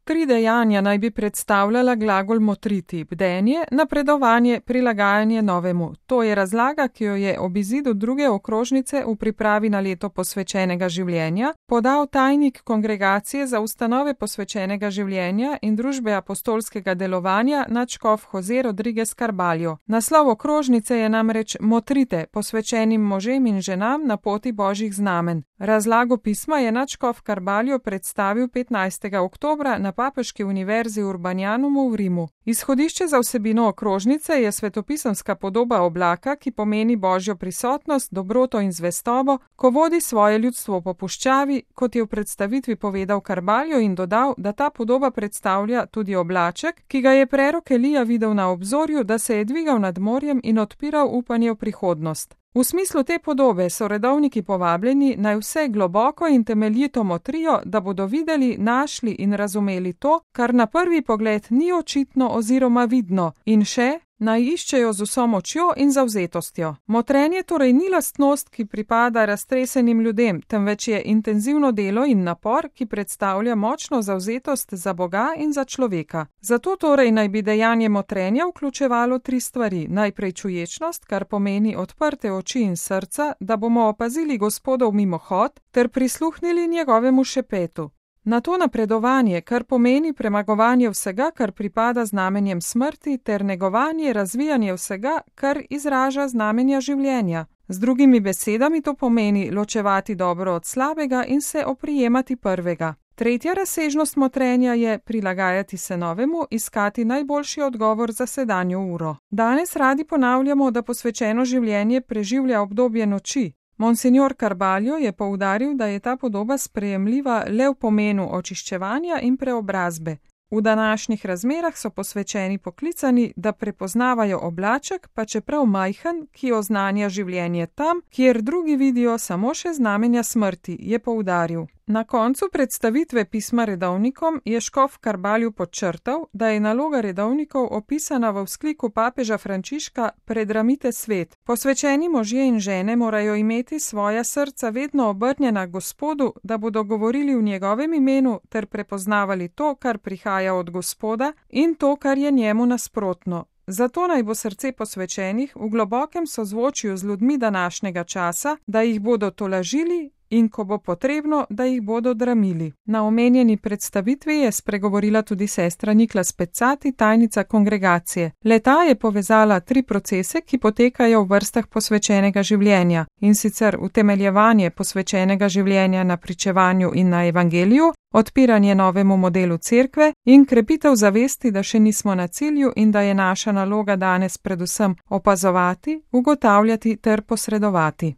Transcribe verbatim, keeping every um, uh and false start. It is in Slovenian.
Tri dejanja naj bi predstavljala glagol motriti: bdenje, napredovanje, prilagajanje novemu. To je razlaga, ki jo je ob izidu druge okrožnice v pripravi na leto posvečenega življenja podal tajnik Kongregacije za ustanove posvečenega življenja in družbe apostolskega delovanja nadškof Jose Rodriguez Carballo. Naslov okrožnice je namreč Motrite, posvečenim možem in ženam na poti božjih znamen. Razlago pisma je nadškof Carballo predstavil petnajstega oktobra na Papeški univerzi Urbanianumu v Rimu. Izhodišče za vsebino okrožnice je svetopisemska podoba oblaka, ki pomeni božjo prisotnost, dobroto in zvestobo, ko vodi svoje ljudstvo po puščavi, kot je v predstavitvi povedal Carballo in dodal, da ta podoba predstavlja tudi oblaček, ki ga je prerok Elija videl na obzorju, da se je dvigal nad morjem in odpiral upanje v prihodnost. V smislu te podobe so redovniki povabljeni naj vse globoko in temeljito motrijo, da bodo videli, našli in razumeli to, kar na prvi pogled ni očitno oziroma vidno, in še naj iščejo z vso močjo in zavzetostjo. Motrenje torej ni lastnost, ki pripada raztresenim ljudem, temveč je intenzivno delo in napor, ki predstavlja močno zavzetost za Boga in za človeka. Zato torej naj bi dejanje motrenja vključevalo tri stvari. Najprej čuječnost, kar pomeni odprte oči in srca, da bomo opazili Gospodov mimohod ter prisluhnili njegovemu šepetu. Na to napredovanje, kar pomeni premagovanje vsega, kar pripada znamenjem smrti, ter negovanje, razvijanje vsega, kar izraža znamenja življenja. Z drugimi besedami to pomeni ločevati dobro od slabega in se oprijemati prvega. Tretja razsežnost motrenja je prilagajati se novemu, iskati najboljši odgovor za sedanjo uro. Danes radi ponavljamo, da posvečeno življenje preživlja obdobje noči. Monsignor Carballo je poudaril, da je ta podoba sprejemljiva le v pomenu očiščevanja in preobrazbe. V današnjih razmerah so posvečeni poklicani, da prepoznavajo oblaček, pa čeprav majhen, ki oznanja življenje tam, kjer drugi vidijo samo še znamenja smrti, je poudaril. Na koncu predstavitve pisma redovnikom je škof Carballo podčrtal, da je naloga redovnikov opisana v vzkliku papeža Frančiška Predramite svet. Posvečeni možje in žene morajo imeti svoja srca vedno obrnjena k Gospodu, da bodo govorili v njegovem imenu ter prepoznavali to, kar prihaja od Gospoda, in to, kar je njemu nasprotno. Zato naj bo srce posvečenih v globokem sozvočju z ljudmi današnjega časa, da jih bodo tolažili in ko bo potrebno, da jih bodo dramili. Na omenjeni predstavitvi je spregovorila tudi sestra Niklas Pecati, tajnica kongregacije. Le-ta je povezala tri procese, ki potekajo v vrstah posvečenega življenja, in sicer utemeljevanje posvečenega življenja na pričevanju in na evangeliju, odpiranje novemu modelu cerkve in krepitev zavesti, da še nismo na cilju in da je naša naloga danes predvsem opazovati, ugotavljati ter posredovati.